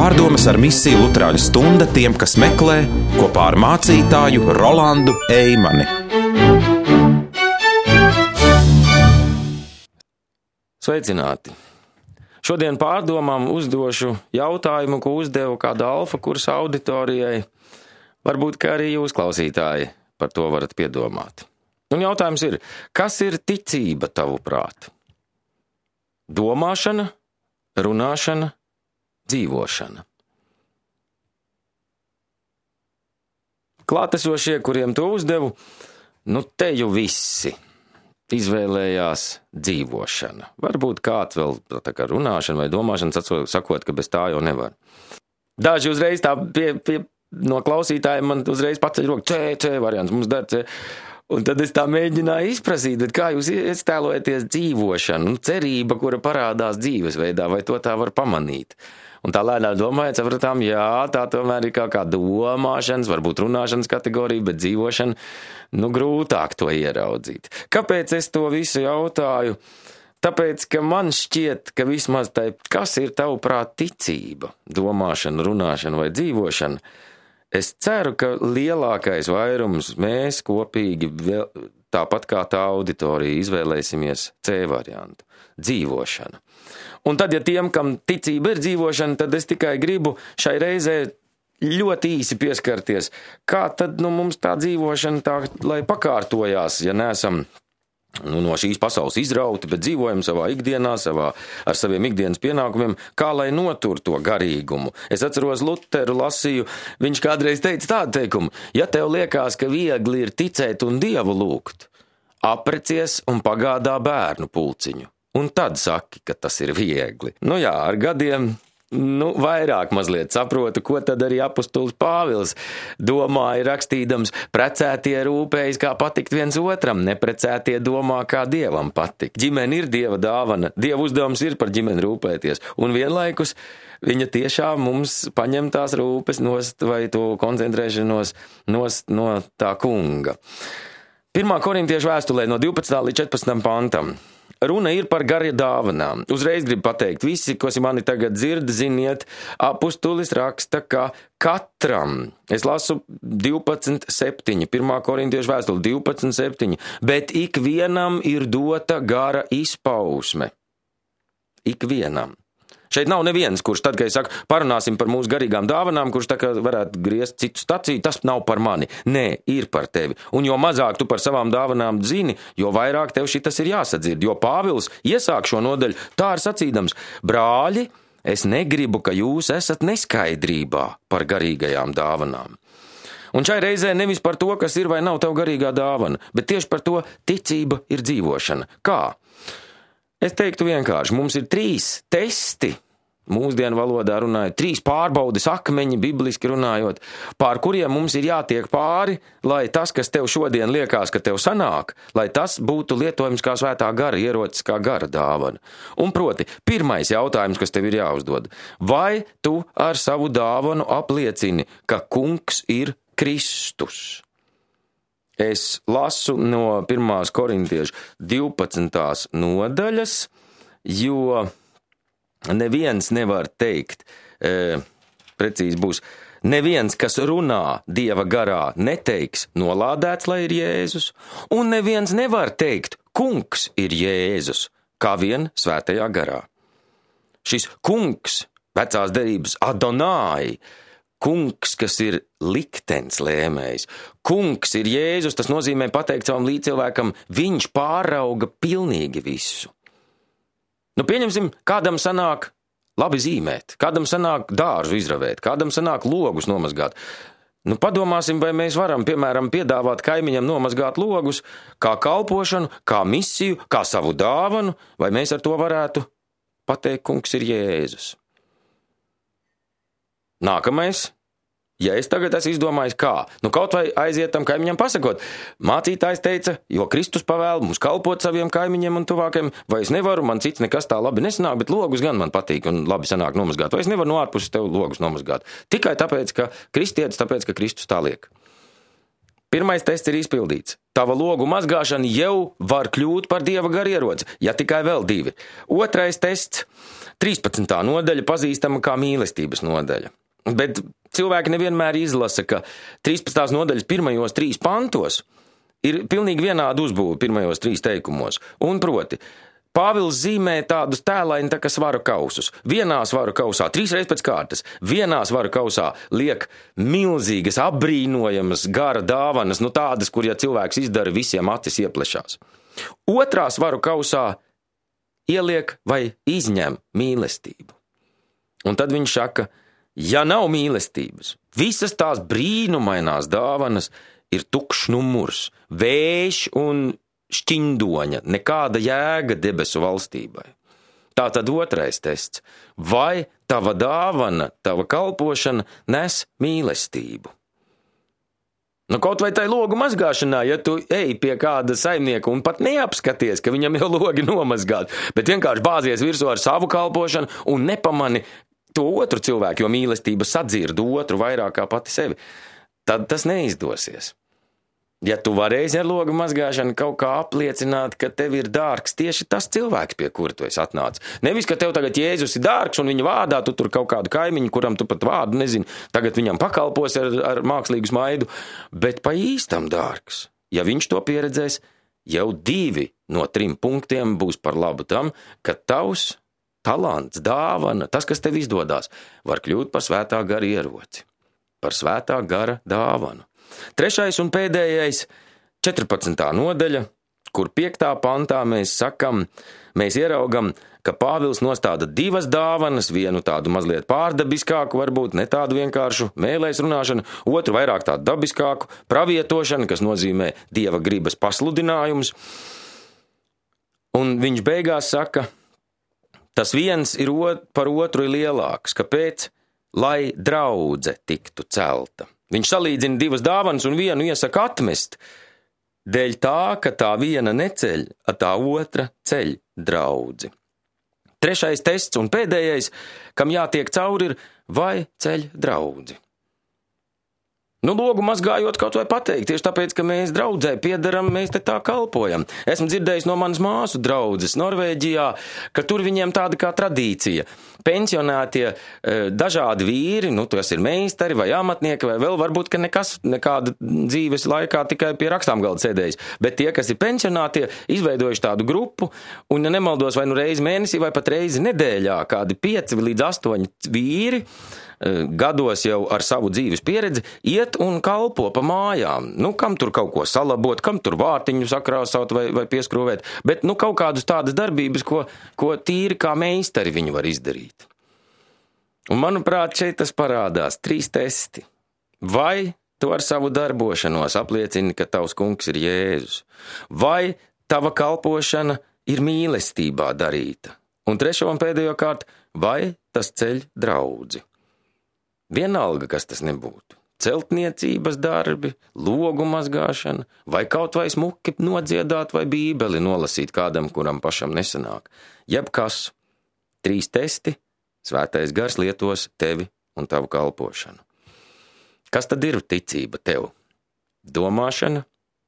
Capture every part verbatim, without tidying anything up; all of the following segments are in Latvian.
Pārdomas ar misiju Luterāņu stunda tiem, kas meklē, kopā ar mācītāju Rolandu Eimani. Sveicināti! Šodien pārdomām uzdošu jautājumu, ko uzdevu kāda alfa kursa auditorijai. Varbūt, ka arī jūs, klausītāji, par to varat piedomāt. Un jautājums ir, kas ir ticība tavuprāt? Domāšana, runāšana, dzīvošana. Klātesošie, kuriem to uzdevu, nu te jau visi izvēlējās dzīvošana. Varbūt kāds vēl tā kā runāšana vai domāšana, sakot, ka bez tā jau nevar. Daži uzreiz tā pie, pie, no klausītājiem man uzreiz paceļ roku, C, C variants, mums dar C. Un tad es tā mēģināju izprasīt, bet kā jūs iestēlojaties dzīvošanu, nu, cerība, kura parādās dzīvesveidā, vai to tā var pamanīt. Un tā lēnām domājot, sapratām, jā, tā tomēr ir kā kā domāšanas, varbūt runāšanas kategorija, bet dzīvošana, nu, grūtāk to ieraudzīt. Kāpēc es to visu jautāju? Tāpēc, ka man šķiet, ka vismaz tai, kas ir tavuprāt ticība, domāšana, runāšana vai dzīvošana, es ceru, ka lielākais vairums mēs kopīgi, vēl, tāpat kā tā auditorija, izvēlēsimies C variantu – dzīvošana. Un tad, ja tiem, kam ticība ir dzīvošana, tad es tikai gribu šai reizē ļoti īsi pieskarties, kā tad nu, mums tā dzīvošana tā, lai pakārtojās, ja neesam nu, no šīs pasaules izrauti, bet dzīvojam savā ikdienā, savā, ar saviem ikdienas pienākumiem, kā lai notur to garīgumu. Es atceros Luteru lasīju, viņš kādreiz teica tādu teikumu, ja tev liekas, ka viegli ir ticēt un Dievu lūgt, aprecies un pagādā bērnu pulciņu, un tad saki, ka tas ir viegli. Nu jā, ar gadiem nu, vairāk mazliet saprotu, ko tad arī apustulis Pāvils domāja rakstīdams, precētie rūpējas, kā patikt viens otram, neprecētie domā, kā Dievam patikt. Ģimene ir Dieva dāvana, Dieva uzdevums ir par ģimeni rūpēties, un vienlaikus viņa tiešām mums paņem tās rūpes nost vai to koncentrēšanos nost no tā kunga. Pirmā korintiešu vēstulē no divpadsmitā līdz četrpadsmitam pantam. Runa ir par garīgām dāvanām. Uzreiz gribu pateikt, visi, kas mani tagad dzird, ziniet, apustulis raksta, ka katram, es lasu divpadsmit septiņi, pirmā korintiešu vēstule divpadsmit septiņi, bet ikvienam ir dota gara izpausme. Ikvienam. Šeit nav neviens, kurš tad, kad es saku, parunāsim par mūsu garīgām dāvanām, kurš tā kā varētu griezt citu staciju, tas nav par mani. Nē, ir par tevi. Un jo mazāk tu par savām dāvanām zini, jo vairāk tev šitas ir jāsadzird. Jo Pāvils iesāk šo nodaļu tā ar sacīdams, brāļi, es negribu, ka jūs esat neskaidrībā par garīgajām dāvanām. Un šai reizē nevis par to, kas ir vai nav tev garīgā dāvana, bet tieši par to ticība ir dzīvošana. Kā? Es teiktu vienkārši, mums ir trīs testi, mūsdienu valodā runājot, trīs pārbaudes akmeņi, bibliski runājot, pār kuriem mums ir jātiek pāri, lai tas, kas tev šodien liekas, ka tev sanāk, lai tas būtu lietojams kā svētā gara, ierocis kā gara dāvana. Un proti, pirmais jautājums, kas tev ir jāuzdod, vai tu ar savu dāvanu apliecini, ka kungs ir Kristus? Es lasu no pirmās korintiešu divpadsmitās nodaļas, jo neviens nevar teikt, e, precīzi būs, neviens, kas runā Dieva garā, neteiks nolādēts, lai ir Jēzus, un neviens nevar teikt, kungs ir Jēzus, kā vien svētajā garā. Šis kungs, vecās derības Adonai, kungs, kas ir liktenis lēmējs. Kungs ir Jēzus, tas nozīmē pateikt savam līdzcilvēkam, viņš pārauga pilnīgi visu. Nu, pieņemsim, kādam sanāk labi zīmēt, kādam sanāk dārzu izravēt, kādam sanāk logus nomazgāt. Nu, padomāsim, vai mēs varam, piemēram, piedāvāt kaimiņam nomazgāt logus kā kalpošanu, kā misiju, kā savu dāvanu, vai mēs ar to varētu pateikt, kungs ir Jēzus. Nākamais. Ja es tagad esmu izdomājis kā, nu kaut vai aiziet tam kaimiņam pasakot, mācītājs teica, jo Kristus pavēl mums kalpot saviem kaimiņiem un tuvākiem, vai es nevaru, man cits nekas tā labi nesanāk, bet logus gan man patīk un labi sanāk nomazgāt, vai es nevaru no ārpuses tev logus nomazgāt. Tikai tāpēc, ka kristietis, tāpēc, ka Kristus tā liek. Pirmais tests ir izpildīts. Tava logu mazgāšana jau var kļūt par Dieva garu ieroci, ja tikai vēl divi. Otrais tests, trīspadsmitā nodaļa, pazīstama kā mīlestības nodaļa. Bet cilvēki nevienmēr izlasa, ka trīspadsmitās nodaļas pirmajos trīs pantos ir pilnīgi vienāda uzbūve pirmajos trīs teikumos. Un proti, Pāvils zīmē tādus tēlaini tā kā svaru kausus. Vienā svaru kausā, trīs reizes pēc kārtas, vienā svaru kausā liek milzīgas, apbrīnojamas gara dāvanas, nu tādas, kur ja cilvēks izdara, visiem acis ieplešās. Otrā svaru kausā ieliek vai izņem mīlestību. Un tad viņš saka, ja nav mīlestības, visas tās brīnumainās dāvanas ir tukšs numurs, vējš un šķindoņa, nekāda jēga debesu valstībai. Tā tad otrais tests. Vai tava dāvana, tava kalpošana nes mīlestību? Nu, kaut vai tai logu mazgāšanā, ja tu ej pie kāda saimnieka un pat neapskaties, ka viņam jau logi nomazgāt, bet vienkārši bāzies virsū ar savu kalpošanu un nepamani to otru cilvēku, jo mīlestība sadzird otru vairāk kā pati sevi, tad tas neizdosies. Ja tu varēsi ar logu mazgāšanu kaut kā apliecināt, ka tev ir dārgs tieši tas cilvēks, pie kura tu esi atnācis. Nevis, ka tev tagad Jēzus ir dārgs un viņa vārdā tu tur kaut kādu kaimiņu, kuram tu pat vārdu nezini, tagad viņam pakalpos ar, ar mākslīgu smaidu, bet pa īstam dārgs. Ja viņš to pieredzēs, jau divi no trim punktiem būs par labu tam, ka tavs talants, dāvana, tas, kas tev izdodās, var kļūt par svētā gara ieroci, par svētā gara dāvanu. Trešais un pēdējais, četrpadsmitā nodaļa, kur piektā pantā mēs sakam, mēs ieraugam, ka Pāvils nostāda divas dāvanas, vienu tādu mazliet pārdabiskāku, varbūt ne tādu vienkāršu mēlēs runāšanu, otru vairāk tādu dabiskāku, pravietošanu, kas nozīmē Dieva gribas pasludinājums. Un viņš beigās saka, tas viens ir ot, par otru ir lielāks, kāpēc? Lai draudze tiktu celta. Viņš salīdzina divas dāvanas un vienu iesaka atmest, dēļ tā, ka tā viena neceļ, a tā otra ceļ draudzi. Trešais tests un pēdējais, kam jātiek cauri, ir vai ceļ draudzi. Nu, logu mazgājot kaut vai pateikt, tieši tāpēc, ka mēs draudzē piedaram, mēs te tā kalpojam. Esmu dzirdējis no manas māsu draudzes Norvēģijā, ka tur viņiem tāda kā tradīcija. Pensionētie dažādi vīri, nu, tas ir meistari vai amatnieki, vai vēl varbūt, ka nekas, nekāda dzīves laikā tikai pie rakstām galda sēdējis. Bet tie, kas ir pensionētie, izveidojuši tādu grupu, un, ja nemaldos, vai nu reizi mēnesī, vai pat reizi nedēļā, kādi pieci līdz astoņi vīri, gados jau ar savu dzīves pieredzi, iet un kalpo pa mājām. Nu, kam tur kaut ko salabot, kam tur vārtiņu sakrāsot vai, vai pieskrūvēt, bet, nu, kaut kādas tādas darbības, ko, ko tīri kā meistari viņi var izdarīt. Un, manuprāt, šeit tas parādās trīs testi. Vai tu ar savu darbošanos apliecini, ka tavs kungs ir Jēzus? Vai tava kalpošana ir mīlestībā darīta? Un trešo un pēdējo kārt, vai tas ceļ draudzi? Vienalga, kas tas nebūtu. Celtniecības darbi, logu mazgāšana, vai kaut vai smuki nodziedāt vai bībeli nolasīt kādam, kuram pašam nesanāk. Jebkas, trīs testi, svētais gars lietos tevi un tavu kalpošanu. Kas tad ir ticība tev? Domāšana,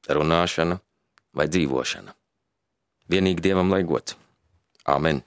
runāšana vai dzīvošana? Vienīgi Dievam lai gods. Āmen.